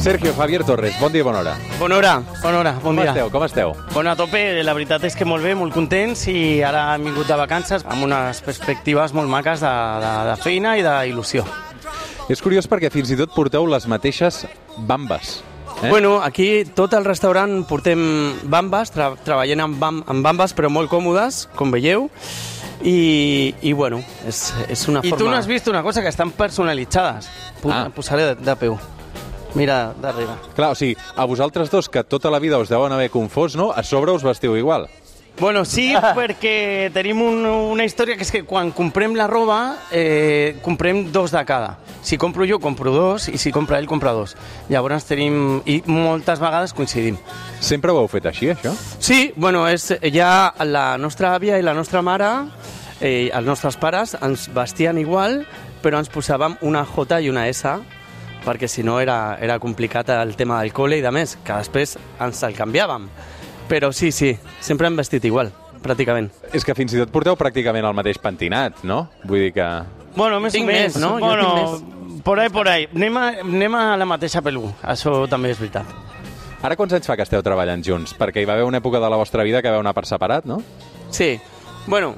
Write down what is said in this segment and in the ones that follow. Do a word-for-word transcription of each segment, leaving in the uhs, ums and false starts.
Sergio Javier Torres, bon dia i bona hora. Bona hora, bona hora, bon Com dia. esteu, com esteu? Bueno, a tope, la veritat és que molt bé, molt contents i ara hem vingut de vacances amb unes perspectives molt maques de, de, de feina i d'il·lusió. És curiós perquè fins i tot porteu les mateixes bambes. Eh? Bueno, aquí tot el restaurant portem bambes, tra treballem amb, bam amb bambes però molt còmodes, com veieu, i, i bueno, és, és una I forma... tu no has vist una cosa, que estan personalitzades. Ah. Posaré de, de peu. Mira, darrere. Clar, o sigui, a vosaltres dos, que tota la vida us deuen haver confós, no? A sobre us vestiu igual. Bueno, sí, perquè tenim un, una història que és que quan comprem la roba, eh, comprem dos de cada. Si compro jo, compro dos, i si compra ell, compra dos. Llavors tenim... I moltes vegades coincidim. Sempre ho heu fet així, això? Sí, bueno, és, ja la nostra àvia i la nostra mare, eh, els nostres pares, ens vestien igual, però ens posàvem una J i una S, perquè si no era, era complicat el tema del col·le i de més, que després ens el canviàvem. Però sí, sí, sempre hem vestit igual, pràcticament. És que fins i tot porteu pràcticament el mateix pentinat, no? Vull dir que... Bueno, més Tinc o menys, més, no? Jo Bueno, tinc por ahí, por ahí. Anem a, anem a la mateixa pelú, això també és veritat. Ara quants anys fa que esteu treballant junts? Perquè hi va haver una època de la vostra vida que vau anar per separat, no? Sí, bueno,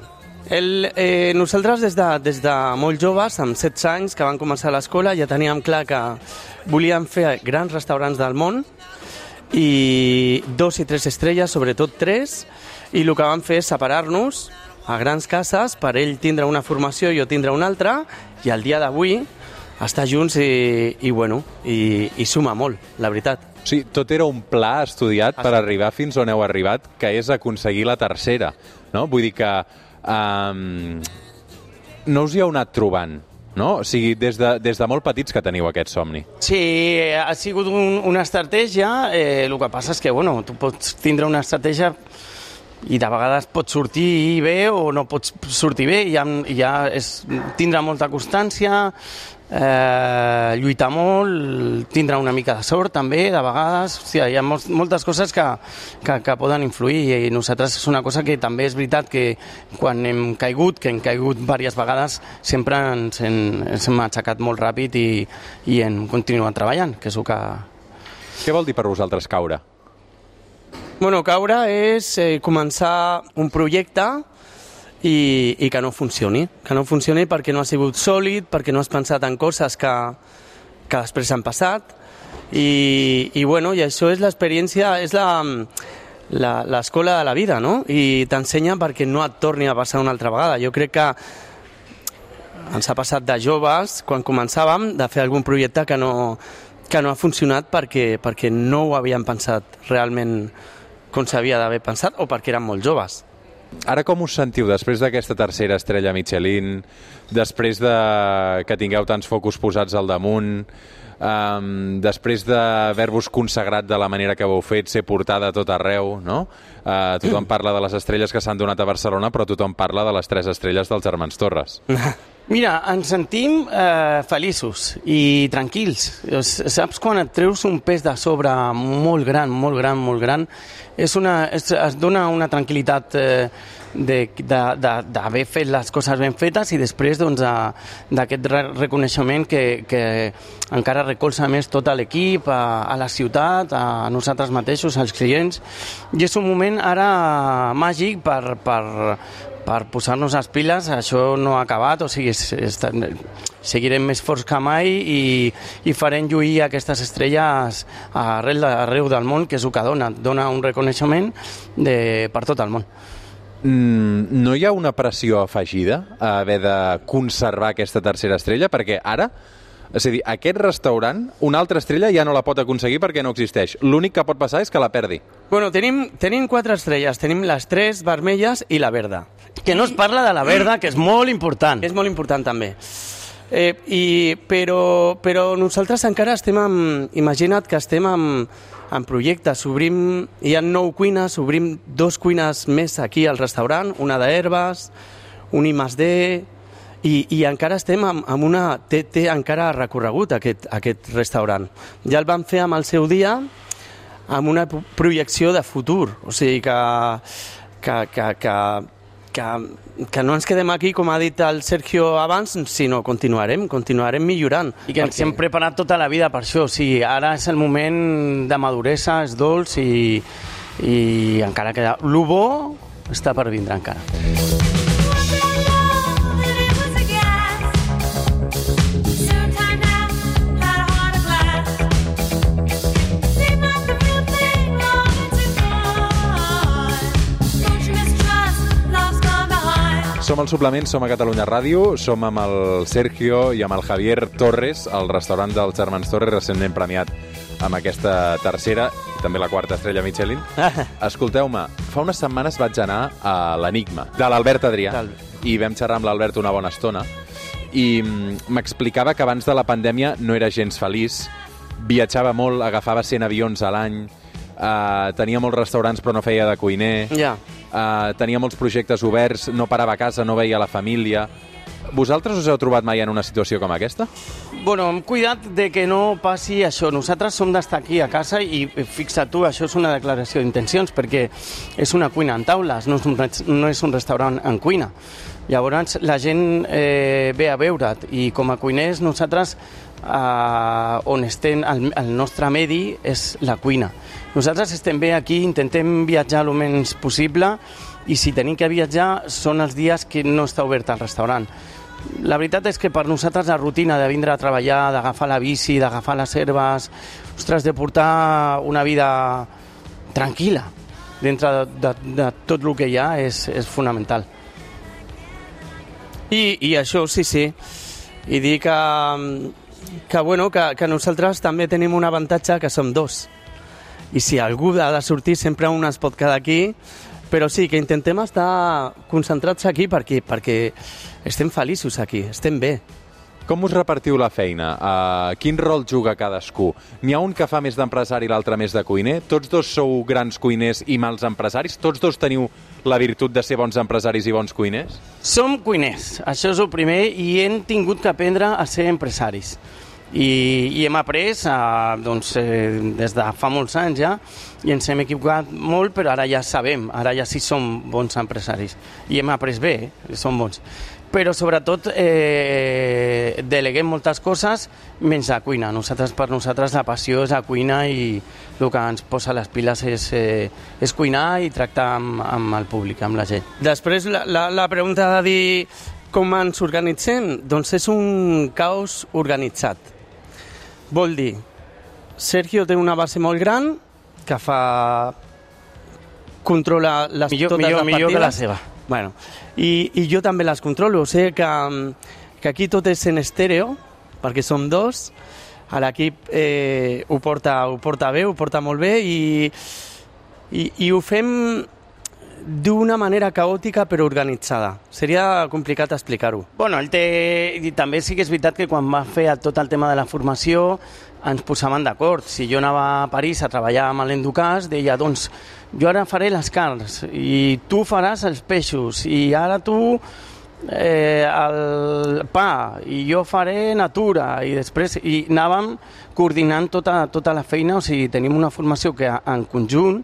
el, eh, nosaltres des de, des de molt joves, amb setze anys, que van començar a l'escola, ja teníem clar que volíem fer grans restaurants del món, i dos i tres estrelles, sobretot tres, i el que vam fer és separar-nos a grans cases per ell tindre una formació i jo tindre una altra, i al dia d'avui estar junts i, i bueno, i, i suma molt, la veritat. O sigui, tot era un pla estudiat per arribar fins on heu arribat, que és aconseguir la tercera, no? Vull dir que um, no us hi heu anat trobant, no? O sigui, des de, des de molt petits que teniu aquest somni. Sí, ha sigut un, una estratègia, eh, el que passa és que, bueno, tu pots tindre una estratègia i de vegades pot sortir bé o no pots sortir bé, i ja, ja és tindre molta constància, eh, lluitar molt, tindre una mica de sort també, de vegades, hòstia, hi ha molts, moltes coses que, que, que poden influir, i nosaltres és una cosa que també és veritat que quan hem caigut, que hem caigut diverses vegades, sempre ens, en, ens hem aixecat molt ràpid i, i hem continuat treballant, que és el que... Què vol dir per vosaltres caure? Bueno, caure és eh, començar un projecte i, i que no funcioni. Que no funcioni perquè no ha sigut sòlid, perquè no has pensat en coses que, que després han passat. I, i, bueno, i això és l'experiència, és la, la, l'escola de la vida, no? I t'ensenya perquè no et torni a passar una altra vegada. Jo crec que ens ha passat de joves, quan començàvem, de fer algun projecte que no, que no ha funcionat perquè, perquè no ho havíem pensat realment com s'havia d'haver pensat, o perquè eren molt joves. Ara com us sentiu després d'aquesta tercera estrella Michelin, després de que tingueu tants focus posats al damunt, um, després d'haver-vos consagrat de la manera que ho heu fet, ser portada a tot arreu, no? Uh, tothom parla de les estrelles que s'han donat a Barcelona, però tothom parla de les tres estrelles dels germans Torres. Mira, ens sentim eh, feliços i tranquils. Saps quan et treus un pes de sobre molt gran, molt gran, molt gran? És una, és, es dona una tranquil·litat eh, d'haver fet les coses ben fetes, i després doncs, d'aquest re reconeixement que, que encara recolza més tot l'equip, a, a la ciutat, a nosaltres mateixos, als clients. I és un moment ara màgic per... per per posar-nos les piles. Això no ha acabat, o sigui, és, és, seguirem més forts que mai i, i farem lluir aquestes estrelles arreu, arreu del món, que és el que dona, dona un reconeixement de, per tot el món. Mm, no hi ha una pressió afegida a haver de conservar aquesta tercera estrella? Perquè ara, és a dir, aquest restaurant, una altra estrella ja no la pot aconseguir perquè no existeix. L'únic que pot passar és que la perdi. Bueno, tenim, tenim quatre estrelles. Tenim les tres vermelles i la verda. Que no es parla de la verda, que és molt important. És molt important també. Eh, i, però, però nosaltres encara estem amb... Imagina't que estem amb, amb projectes. Obrim, hi ha nou cuines, obrim dos cuines més aquí al restaurant, una d'herbes, un I més D, i, i encara estem amb, amb una... Té, té encara recorregut aquest, aquest restaurant. Ja el vam fer amb el seu dia, amb una projecció de futur. O sigui que... que, que, que que, que no ens quedem aquí, com ha dit el Sergio abans, sinó continuarem, continuarem millorant. I que ens perquè... hem preparat tota la vida per això. O sigui, ara és el moment de maduresa, és dolç i, i encara queda... Lo bo està per vindre encara. Som al Suplement, som a Catalunya Ràdio, som amb el Sergio i amb el Javier Torres, el restaurant dels germans Torres, recentment premiat amb aquesta tercera i també la quarta estrella Michelin. Escolteu-me, fa unes setmanes vaig anar a l'Enigma, de l'Albert Adrià, i vam xerrar amb l'Albert una bona estona, i m'explicava que abans de la pandèmia no era gens feliç, viatjava molt, agafava cent avions a l'any, Uh, tenia molts restaurants però no feia de cuiner, yeah. uh, tenia molts projectes oberts, no parava a casa, no veia la família. Vosaltres us heu trobat mai en una situació com aquesta? Bueno, hem cuidat de que no passi això. Nosaltres som d'estar aquí a casa i fixa't tu, això és una declaració d'intencions perquè és una cuina en taules, no és un, no és un restaurant en cuina. Llavors la gent eh, ve a veure't i com a cuiners nosaltres eh, on estem, el, el nostre medi és la cuina. Nosaltres estem bé aquí, intentem viatjar el menys possible i si tenim que viatjar són els dies que no està obert el restaurant. La veritat és que per nosaltres la rutina de vindre a treballar, d'agafar la bici, d'agafar les herbes, ostres, de portar una vida tranquil·la dintre de, de, de tot el que hi ha és, és fonamental. I, I això, sí, sí. I dir que, que, bueno, que, que nosaltres també tenim un avantatge que som dos. I si algú ha de sortir, sempre un es pot quedar aquí, però sí, que intentem estar concentrats aquí perquè, perquè estem feliços aquí, estem bé. Com us repartiu la feina? Uh, quin rol juga cadascú? N'hi ha un que fa més d'empresari i l'altre més de cuiner? Tots dos sou grans cuiners i mals empresaris? Tots dos teniu la virtut de ser bons empresaris i bons cuiners? Som cuiners, això és el primer, i hem tingut que aprendre a ser empresaris. I, i hem après eh, doncs, eh, des de fa molts anys ja i ens hem equivocat molt, però ara ja sabem, ara ja sí som bons empresaris i hem après bé, eh, som bons, però sobretot eh, deleguem moltes coses menys la cuina. Nosaltres, per nosaltres la passió és la cuina i el que ens posa les piles és, eh, és cuinar i tractar amb, amb el públic, amb la gent. Després la, la, la pregunta de dir com ens organitzem, doncs és un caos organitzat. Vol dir, Sergio té una base molt gran que fa... controla les, millor, totes millor, les partides. Millor que la seva. Bueno, i, i jo també les controlo. O sigui que, que aquí tot és en estèreo, perquè som dos. A l'equip eh, ho, porta, ho porta bé, ho porta molt bé i, i, i ho fem d'una manera caòtica però organitzada. Seria complicat explicar-ho. Bueno, el té... I també sí que és veritat que quan va fer tot el tema de la formació ens posaven d'acord. Si jo anava a París a treballar amb l'Enducàs, deia, doncs, jo ara faré les carns i tu faràs els peixos i ara tu eh, el pa i jo faré natura i després i anàvem coordinant tota, tota la feina. O sigui, tenim una formació que en conjunt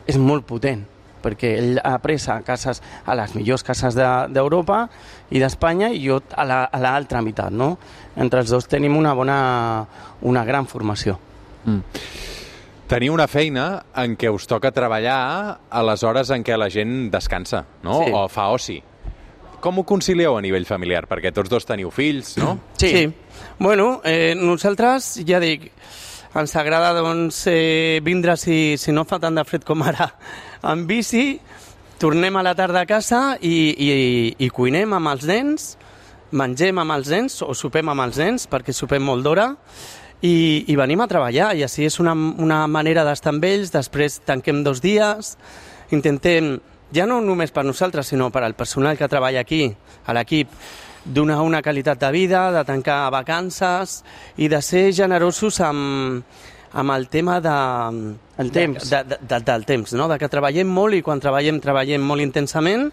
és molt potent, perquè ell ha après a cases, a les millors cases d'Europa i d'Espanya i jo a l'altra meitat, no? Entre els dos tenim una bona, una gran formació. Mm. Teniu una feina en què us toca treballar a les hores en què la gent descansa, no? Sí. O fa oci. Com ho concilieu a nivell familiar? Perquè tots dos teniu fills, no? Sí. sí. Bueno, eh, nosaltres, ja dic, ens agrada doncs, eh, vindre, si, si no fa tant de fred com ara, en bici, tornem a la tarda a casa i, i, i cuinem amb els nens, mengem amb els nens o sopem amb els nens, perquè sopem molt d'hora, i, i venim a treballar. I així és una, una manera d'estar amb ells. Després tanquem dos dies, intentem, ja no només per nosaltres, sinó per al personal que treballa aquí, a l'equip, donar una qualitat de vida, de tancar vacances i de ser generosos amb, amb el tema de, el temps. De, de, de, del temps, no? De que treballem molt i quan treballem, treballem molt intensament,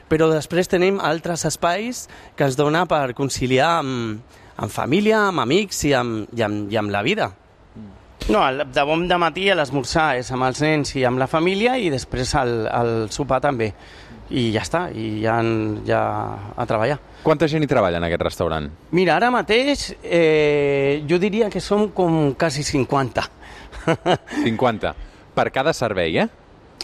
però després tenim altres espais que ens dona per conciliar amb, amb família, amb amics i amb, i amb, i amb la vida. No, de bon de matí a l'esmorzar és amb els nens i amb la família i després el, el sopar també. i ja està, i ja, ja a treballar. Quanta gent hi treballa en aquest restaurant? Mira, ara mateix eh, jo diria que som com quasi cinquanta. cinquanta. Per cada servei, eh?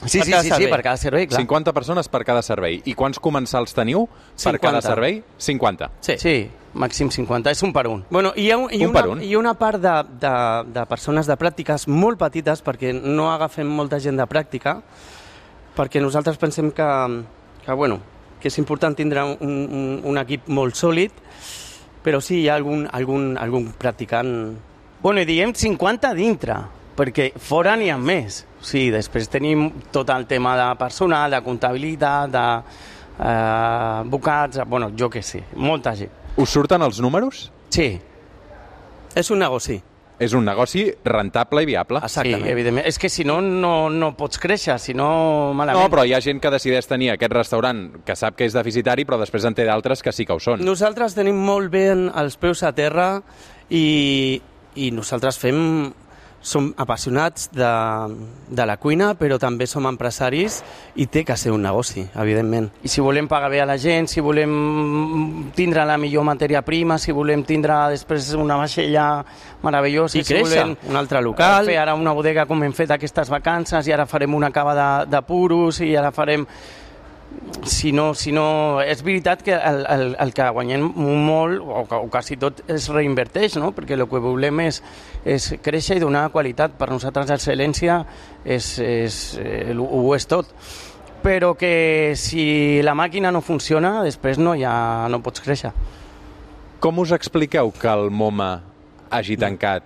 Sí, sí, sí, sí, per cada servei, clar. cinquanta persones per cada servei. I quants comensals teniu per cada servei? cinquanta. Sí, sí, màxim cinquanta, és un per un. Bueno, hi ha, hi un una, per un. hi ha una part de, de, de persones de pràctiques molt petites, perquè no agafem molta gent de pràctica, perquè nosaltres pensem que, que, bueno, que és important tindre un, un, un equip molt sòlid, però sí hi ha algun, algun, algun practicant... Bueno, i diem cinquanta dintre, perquè fora n'hi ha més. Sí, després tenim tot el tema de personal, de comptabilitat, de eh, bocats, bueno, jo què sé, molta gent. Us surten els números? Sí. És un negoci. És un negoci rentable i viable. Exactament. Sí, evidentment. És que si no, no, no pots créixer, si no, malament. No, però hi ha gent que decideix tenir aquest restaurant que sap que és deficitari, però després en té d'altres que sí que ho són. Nosaltres tenim molt bé els peus a terra i, i nosaltres fem... Som apassionats de, de la cuina, però també som empresaris i té que ser un negoci, evidentment. I si volem pagar bé a la gent, si volem tindre la millor matèria prima, si volem tindre després una vaixella meravellosa... I créixer, si volem un altre local... Fer ara una bodega com hem fet aquestes vacances i ara farem una cava de, de puros i ara farem... Si no, si no, és veritat que el, el, el que guanyem molt, o, o quasi tot, es reinverteix, no? Perquè el que volem és, és créixer i donar qualitat. Per nosaltres l'excel·lència és, és, eh, ho és tot. Però que si la màquina no funciona, després no, ja no pots créixer. Com us expliqueu que el MoMA hagi tancat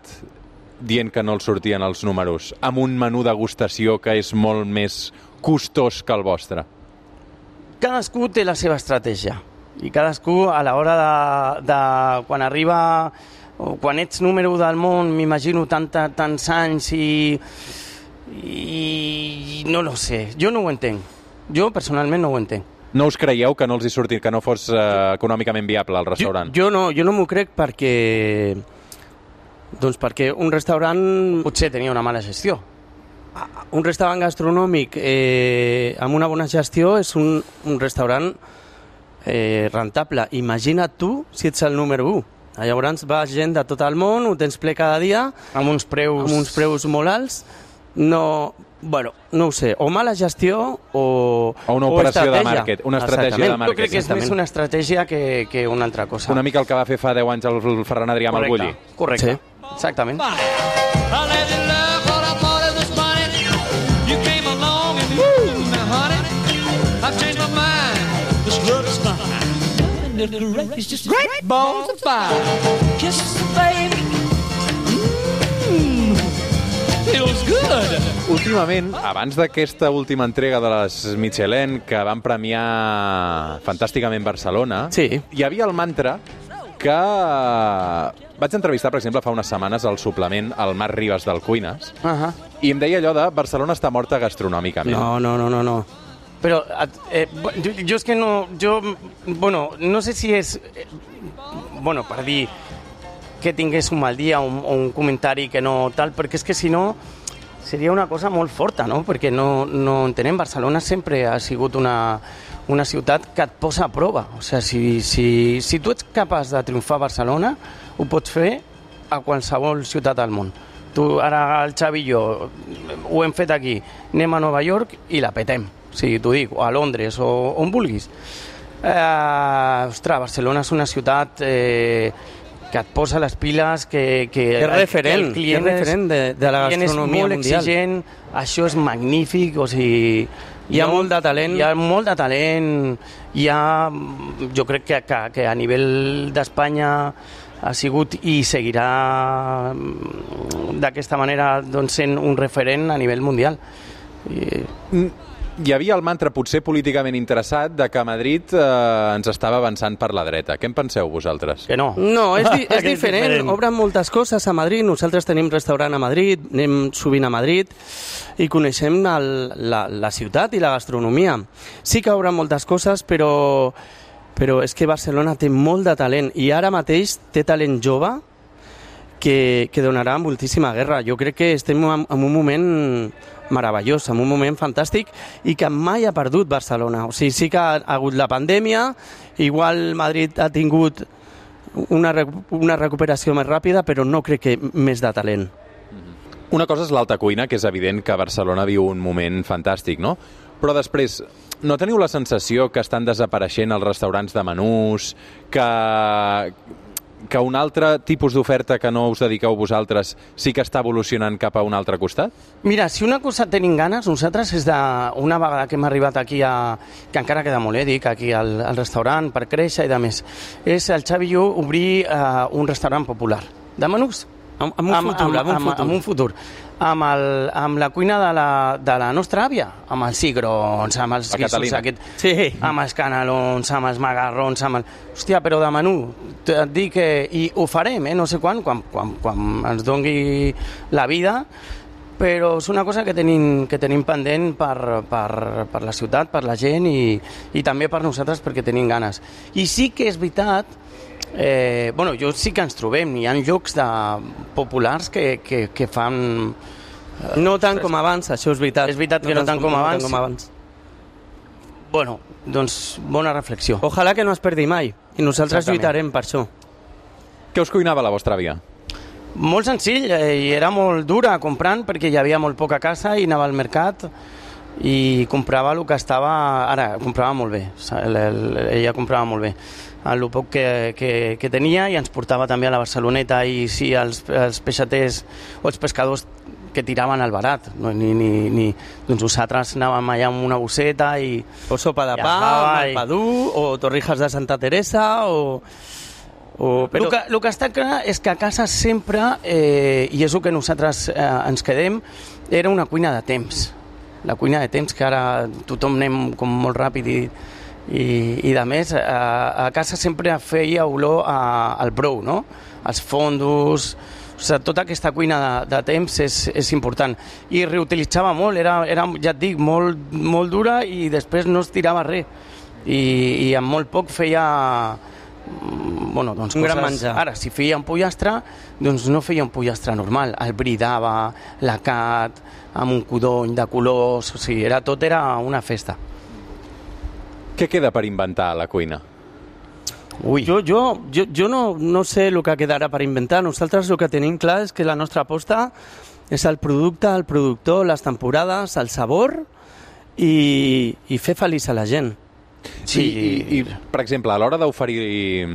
dient que no els sortien els números, amb un menú degustació que és molt més costós que el vostre? Cadascú té la seva estratègia i cadascú a l'hora de, de quan arriba o quan ets número del món, m'imagino tanta, tants anys i, i no lo sé, jo no ho entenc, jo personalment no ho entenc. No us creieu que no els hi surti, que no fos eh, econòmicament viable el restaurant? Jo, jo no, jo no m'ho crec perquè doncs perquè un restaurant... Potser tenia una mala gestió. Un restaurant gastronòmic eh, amb una bona gestió és un, un restaurant eh, rentable. Imagina't tu si ets el número u. Llavors va gent de tot el món, ho tens ple cada dia, amb uns preus, amb uns preus molt alts. No, bueno, no ho sé, o mala gestió o o una operació de màrqueting, una estratègia de màrqueting. Jo crec que és més una estratègia que, que una altra cosa. Una mica el que va fer fa deu anys el Ferran Adrià amb el Bulli. Correcte, sí. Exactament. I've changed my mind. This love is fine. It's just great balls of fire. Kisses, baby. Mmm. Feels good. Últimament, abans d'aquesta última entrega de les Michelin, que van premiar fantàsticament Barcelona, sí. Hi havia el mantra que vaig entrevistar, per exemple, fa unes setmanes al suplement al Marc Ribas del Cuines, uh -huh. i em deia allò de Barcelona està morta gastronòmicament. No, no, no, no, no. Però eh, jo, jo és que no... Jo, bueno, no sé si és... Eh, bueno, per dir que tingués un mal dia o un, o un comentari que no tal, perquè és que si no seria una cosa molt forta, no? Perquè no, no entenem, Barcelona sempre ha sigut una, una ciutat que et posa a prova. O sigui, si, si, si tu ets capaç de triomfar a Barcelona, ho pots fer a qualsevol ciutat del món. Tu, ara el Xavi i jo ho hem fet aquí, anem a Nova York i la petem. Sí, t'ho dic, o a Londres, o on vulguis. Eh, ostres, Barcelona és una ciutat eh, que et posa les piles, que... que és referent, el client és referent de, de la gastronomia molt mundial. Exigent, això és magnífic, o sigui... Hi ha molt de talent. Hi ha molt de talent, hi ha... Jo crec que, que, que a nivell d'Espanya ha sigut i seguirà d'aquesta manera doncs, sent un referent a nivell mundial. I... Hi havia el mantra potser políticament interessat de que Madrid eh, ens estava avançant per la dreta. Què en penseu vosaltres? Que no. No, és, di és, diferent. és diferent. Obren moltes coses a Madrid. Nosaltres tenim restaurant a Madrid, anem sovint a Madrid i coneixem el, la, la ciutat i la gastronomia. Sí que obren moltes coses, però, però és que Barcelona té molt de talent i ara mateix té talent jove que, que donarà moltíssima guerra. Jo crec que estem en, en un moment meravellós, en un moment fantàstic i que mai ha perdut Barcelona. O sigui, sí que ha hagut la pandèmia, igual Madrid ha tingut una, una recuperació més ràpida, però no crec que més de talent. Una cosa és l'alta cuina, que és evident que Barcelona viu un moment fantàstic, no? Però després, no teniu la sensació que estan desapareixent els restaurants de menús, que, que un altre tipus d'oferta que no us dediqueu vosaltres sí que està evolucionant cap a un altre costat? Mira, si una cosa tenim ganes, nosaltres és de, una vegada que hem arribat aquí, a, que encara queda molt, eh, dic, aquí al, al restaurant per créixer i de més, és el Xavi i jo obrir uh, un restaurant popular de menús. Amb, amb, un, futur, amb, amb, un futur. Amb un futur. Amb, el, amb la cuina de la, de la nostra àvia, amb els cigrons, amb els guissos, aquest, sí. amb els canelons, amb els magarrons, amb el... Hòstia, però de menú, et dic que... I ho farem, eh? No sé quan, quan, quan, quan ens dongui la vida, però és una cosa que tenim, que tenim pendent per, per, per la ciutat, per la gent i, i també per nosaltres perquè tenim ganes. I sí que és veritat. Eh, bueno, jo sí que ens trobem, hi ha llocs de populars que, que, que fan... Eh, no tant com abans, això és veritat. És veritat que no, no tant com, com, abans. com abans. Bueno, doncs bona reflexió. Ojalà que no es perdi mai, i nosaltres Exactament. lluitarem per això. Què us cuinava la vostra àvia? Molt senzill, eh, i era molt dura comprant perquè hi havia molt poca casa i anava al mercat i comprava el que estava... Ara, comprava molt bé, el, el, ella comprava molt bé el poc que, que, que tenia i ens portava també a la Barceloneta i sí, els, els peixaters o els pescadors que tiraven al barat, no, ni, ni, ni, doncs nosaltres anàvem allà amb una bosseta i... O sopa de pa, i... malpadú, o torrijas de Santa Teresa, o... o però... el, que, el que està clar és que a casa sempre, eh, i és el que nosaltres eh, ens quedem, era una cuina de temps. La cuina de temps, que ara tothom anem com molt ràpid i... I, i de més, a, a casa sempre feia olor a, al brou, no? Els fondos, o sigui, tota aquesta cuina de, de temps és, és important. I reutilitzava molt, era, era ja et dic, molt, molt dura i després no es tirava res. I, i amb molt poc feia... Bueno, doncs un coses... gran menjar. Ara, si feia un pollastre, doncs no feia un pollastre normal. El bridava, l'acat, amb un codony de colors, o sigui, era, tot era una festa. Què queda per inventar a la cuina? Ui. Jo, jo, jo, jo no, no sé el que quedarà per inventar. Nosaltres el que tenim clar és que la nostra aposta és el producte, el productor, les temporades, el sabor i, i fer feliç a la gent. Sí, i, i, i per exemple, a l'hora d'oferir...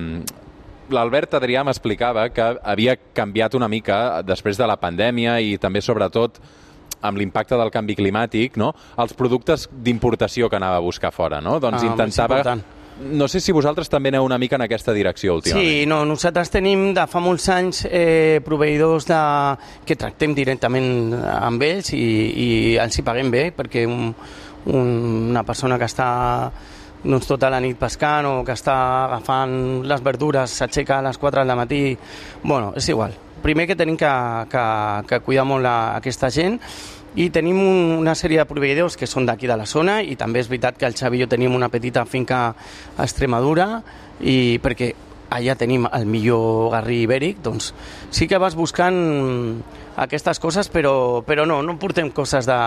L'Albert Adrià m'explicava que havia canviat una mica després de la pandèmia i també, sobretot, amb l'impacte del canvi climàtic, no? Els productes d'importació que anava a buscar fora, no? Doncs ah, intentava... No sé si vosaltres també aneu una mica en aquesta direcció últimament. Sí, no, nosaltres tenim de fa molts anys eh, proveïdors de... que tractem directament amb ells i, i els hi paguem bé, perquè un, un, una persona que està doncs, tota la nit pescant o que està agafant les verdures, s'aixeca a les quatre del matí... Bueno, és igual. Primer que tenim que, que, que cuidar molt a, a aquesta gent i tenim un, una sèrie de proveïdors que són d'aquí de la zona i també és veritat que el Xavi i jo tenim una petita finca a Extremadura i perquè allà tenim el millor garrí ibèric, doncs sí que vas buscant aquestes coses, però, però no, no portem coses de,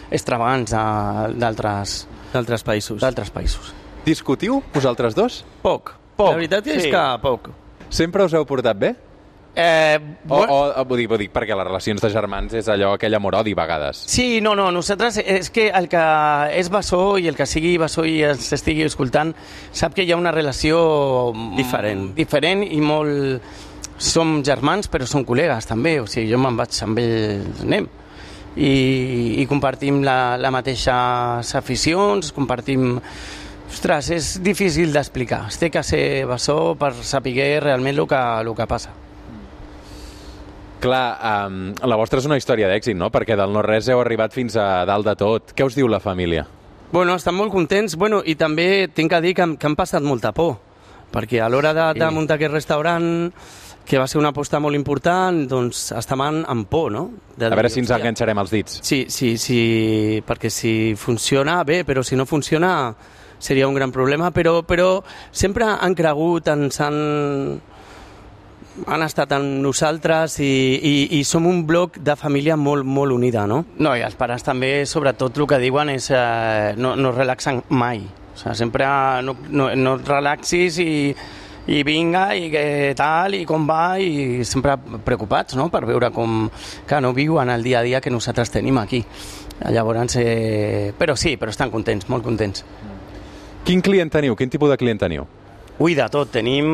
extravagants d'altres d'altres països. d'altres països. Discutiu, vosaltres dos? Poc. Poc. La veritat és sí. que poc. Sempre us heu portat bé? Eh, o, o, o ho, dic, ho dic perquè les relacions de germans és allò, aquell amor-odi a vegades. Sí, no, no, nosaltres és que el que és bessó i el que sigui bessó i ens estigui escoltant sap que hi ha una relació diferent, diferent i molt... Som germans però som col·legues també, o sigui, jo me'n vaig amb ells, anem. I, i compartim la, la mateixes aficions, compartim... Ostres, és difícil d'explicar. Es té que ser bessó per saber realment el que, el que passa. Clar, um, la vostra és una història d'èxit, no? Perquè del no-res heu arribat fins a dalt de tot. Què us diu la família? Bueno, estan molt contents. Bueno, i també tinc que dir que, que han passat molta por. Perquè a l'hora de, de muntar aquest restaurant, que va ser una aposta molt important, doncs estaven amb por, no? De a veure si ens enganxarem els dits. Sí, sí, sí, perquè si funciona, bé, però si no funciona seria un gran problema, però, però sempre han cregut, ens han... han estat amb nosaltres i, i, i som un bloc de família molt, molt unida, no? No, i els pares també, sobretot, el que diuen és eh, no, no es relaxen mai. O sigui, sempre no, no, no et relaxis i, i vinga, i què tal, i com va, i sempre preocupats, no?, per veure com que no viuen el dia a dia que nosaltres tenim aquí. Llavors, eh, però sí, però estan contents, molt contents. Quin client teniu? Quin tipus de client teniu? Ui, de tot, tenim...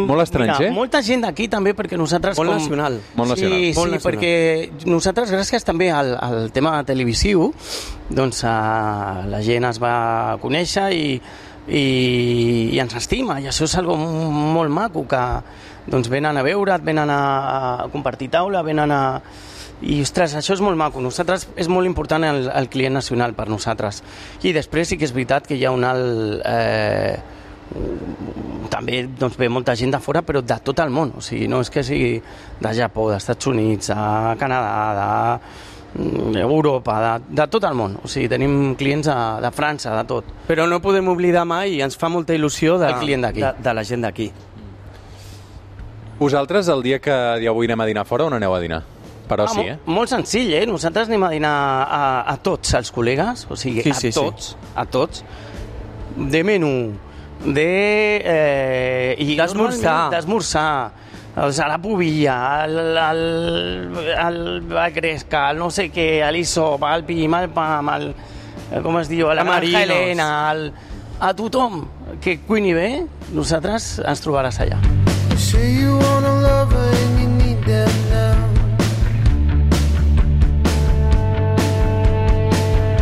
Molt estranger? Mira, molta gent d'aquí també, perquè nosaltres... Molt com... nacional. Molt nacional. Sí, Molt sí, nacional. perquè nosaltres, gràcies també al, al tema televisiu, doncs uh, la gent es va conèixer i, i, i ens estima, i això és algo molt maco, que doncs venen a veure't, venen a, a compartir taula, venen a... I, ostres, això és molt maco. Nosaltres és molt important el, el client nacional per nosaltres. I després sí que és veritat que hi ha un alt... Eh, també doncs, ve molta gent de fora, però de tot el món. O sigui, no és que sigui de Japó, dels Estats Units, de Canadà, d'Europa, de, de tot el món. O sigui, tenim clients de, de França, de tot. Però no podem oblidar mai, i ens fa molta il·lusió, de, El client d'aquí. de, de la gent d'aquí. Vosaltres, el dia que avui anem a dinar fora, on aneu a dinar? Però Ah, sí, mo- eh? Molt senzill, eh? Nosaltres anem a dinar a, a tots els col·legues, o sigui, Sí, a sí, sí. tots, a tots, de menú, de... Eh, i D'esmorzar. normalment D'esmorzar, o sigui, la pubilla, el, el, el, la gresca, el no sé què, l'isop, el pim, el pam, el, com es diu, la Tamarinos. granja Helena, el, a tothom que cuini bé, nosaltres ens trobaràs allà. Say you want a lover and you need them now.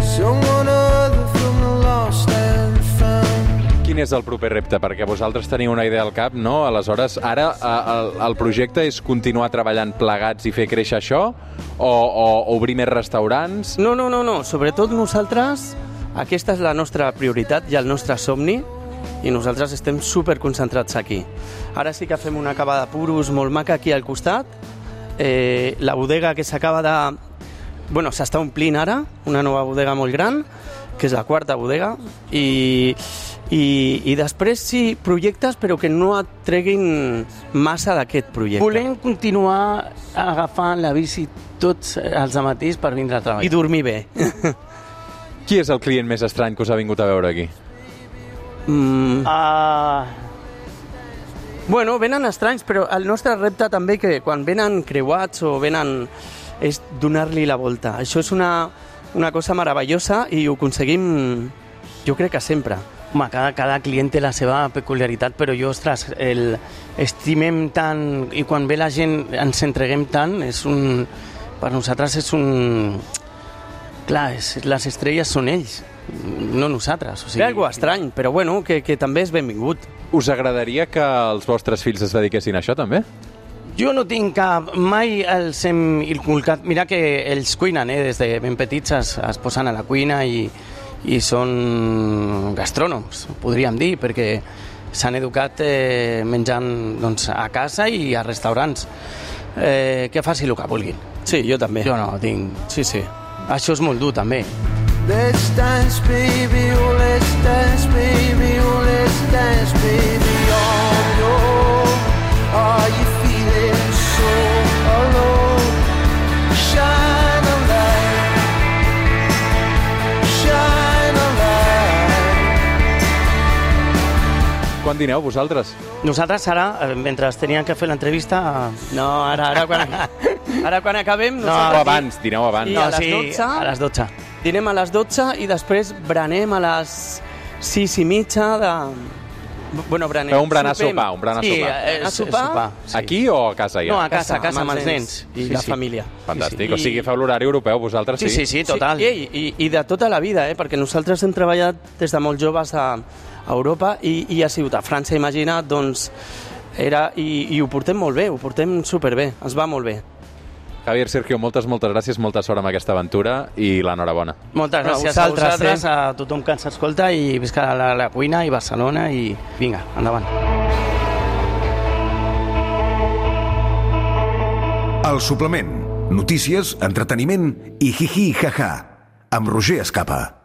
Someone other from the lost and found. Quin és el proper repte? Perquè vosaltres teniu una idea al cap, no? Aleshores, ara eh, el, el projecte és continuar treballant plegats i fer créixer això? O, o obrir més restaurants? No, no, no, no. Sobretot nosaltres, aquesta és la nostra prioritat i el nostre somni, i nosaltres estem superconcentrats aquí. Ara sí que fem una cava de puros molt maca aquí al costat, eh, la bodega que s'acaba de... Bueno, s'està omplint ara, una nova bodega molt gran, que és la quarta bodega, i, i, i després sí, projectes, però que no et treguin massa d'aquest projecte. Volem continuar agafant la bici tots els matins per vindre a treballar. I dormir bé. Qui és el client més estrany que us ha vingut a veure aquí? mm, Uh, Bueno, venen estranys, però el nostre repte també que quan venen creuats o venen és donar-li la volta. Això és una, una cosa meravellosa i ho aconseguim, jo crec que sempre. home, cada, cada client té la seva peculiaritat, però jo, ostres, el, estimem tant i quan ve la gent ens entreguem tant, és un, per nosaltres és un... Clar, és, les estrelles són ells, no nosaltres. O Sí, és algo estrany, però bueno, que, que també és benvingut. Us agradaria que els vostres fills es dediquessin a això, també? Jo no tinc cap... Mai els hem inculcat... Mira que ells cuinen, eh? Des de ben petits es, es posen a la cuina i, i són gastrònoms, podríem dir, perquè s'han educat eh, menjant doncs, a casa i a restaurants. Eh, que faci el que vulguin. Sí, jo també. Jo no tinc... Sí, sí. Això és molt dur, també. Let's dance, baby, oh, let's dance, baby, oh, let's dance, baby, on your... Are you feeling so alone? Shine a light, shine a light. Quan dineu, vosaltres? Nosaltres ara, eh, mentre teníem que fer l'entrevista... No, ara, ara, quan, ara quan acabem... O nosaltres abans, dineu abans. I No, a les sí, dotze? a les dotze. Dinem a les dotze i després berenem a les sis i mitja de... Bueno, berenem. Feu un berenar sopem. sopar, un berenar Sí, sopar. eh, A sopar? sopar, sí. Aquí o a casa ja? No, a casa, a casa amb els nens. i Sí, la sí. família. Fantàstic, Sí, o sigui, feu l'horari europeu vosaltres, Sí, sí, sí, total. Sí, i, i, I de tota la vida, eh? Perquè nosaltres hem treballat des de molt joves a, a Europa i, i ha sigut a França, imagina't, doncs, era, i, i ho portem molt bé, ho portem superbé, ens va molt bé. Javier, Sergio, moltes, moltes gràcies, molta sort amb aquesta aventura i l'enhorabona. Moltes A gràcies vosaltres, a vosaltres, eh? a tothom que ens escolta i visca la, la cuina i Barcelona i vinga, endavant. El suplement. Notícies, entreteniment i hi-hi ha-ha. Amb Roger Escapa.